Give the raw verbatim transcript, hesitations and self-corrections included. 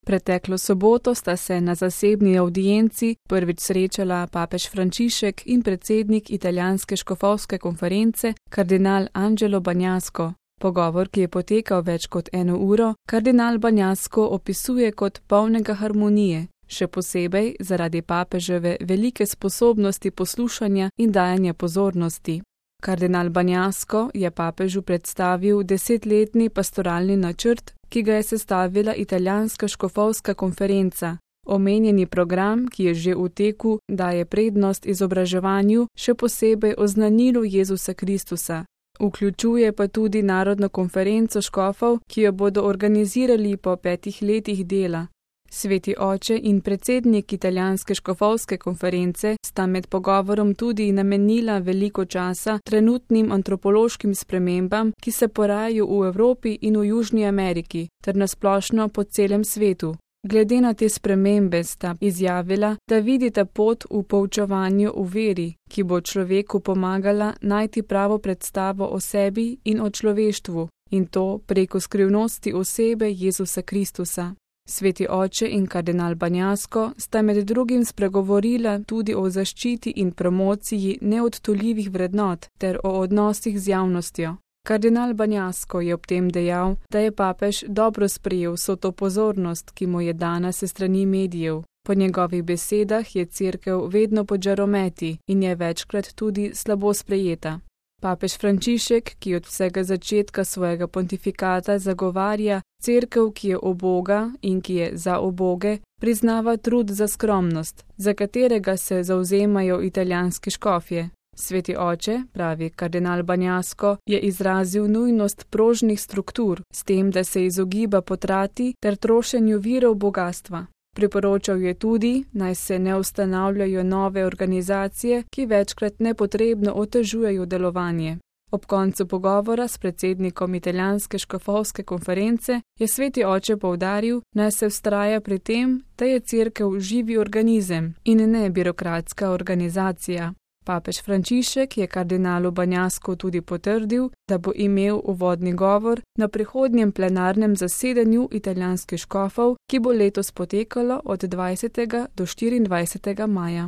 Preteklo soboto sta se na zasebni avdienci prvič srečala papež Frančišek in predsednik italijanske škofovske konference kardinal Angelo Bagnasco. Pogovor, ki je potekal več kot eno uro, kardinal Bagnasco opisuje kot polnega harmonije, še posebej zaradi papeževe velike sposobnosti poslušanja in dajanja pozornosti. Kardinal Bagnasco je papežu predstavil desetletni pastoralni načrt, ki ga je sestavila italijanska škofovska konferenca. Omenjeni program, ki je že v teku, daje prednost izobraževanju, še posebej oznanilu Jezusa Kristusa. Vključuje pa tudi narodno konferenco škofov, ki jo bodo organizirali po petih letih dela. Sveti oče in predsednik italijanske škofovske konference sta med pogovorom tudi namenila veliko časa trenutnim antropološkim spremembam, ki se porajajo v Evropi in v Južni Ameriki, ter nasplošno po celem svetu. Glede na te spremembe sta izjavila, da vidita pot v poučevanju v veri, ki bo človeku pomagala najti pravo predstavo o sebi in o človeštvu, in to preko skrivnosti osebe Jezusa Kristusa. Sveti oče in kardinal Bagnasco sta med drugim spregovorila tudi o zaščiti in promociji neodtuljivih vrednot ter o odnosih z javnostjo. Kardinal Bagnasco je ob tem dejal, da je papež dobro sprejel vso to pozornost, ki mu je dana se strani medijev. Po njegovih besedah je cerkev vedno pod žarometi in je večkrat tudi slabo sprejeta. Papež Frančišek, ki od vsega začetka svojega pontifikata zagovarja cerkev, ki je uboga in ki je za uboge, priznava trud za skromnost, za katerega se zavzemajo italijanski škofje. Sveti oče, pravi kardinal Bagnasco, je izrazil nujnost prožnih struktur, s tem, da se izogiba potrati ter trošenju virov bogastva. Priporočal je tudi, naj se ne ustanavljajo nove organizacije, ki večkrat nepotrebno otežujejo delovanje. Ob koncu pogovora s predsednikom italijanske škofovske konference je sveti oče poudaril, naj se vztraja pri tem, da je cerkev živi organizem in ne birokratska organizacija. Papež Frančišek je kardinalu Bagnascu tudi potrdil, da bo imel uvodni govor na prihodnjem plenarnem zasedanju italijanskih škofov, ki bo letos potekalo od dvajsetega do štiriindvajsetega maja.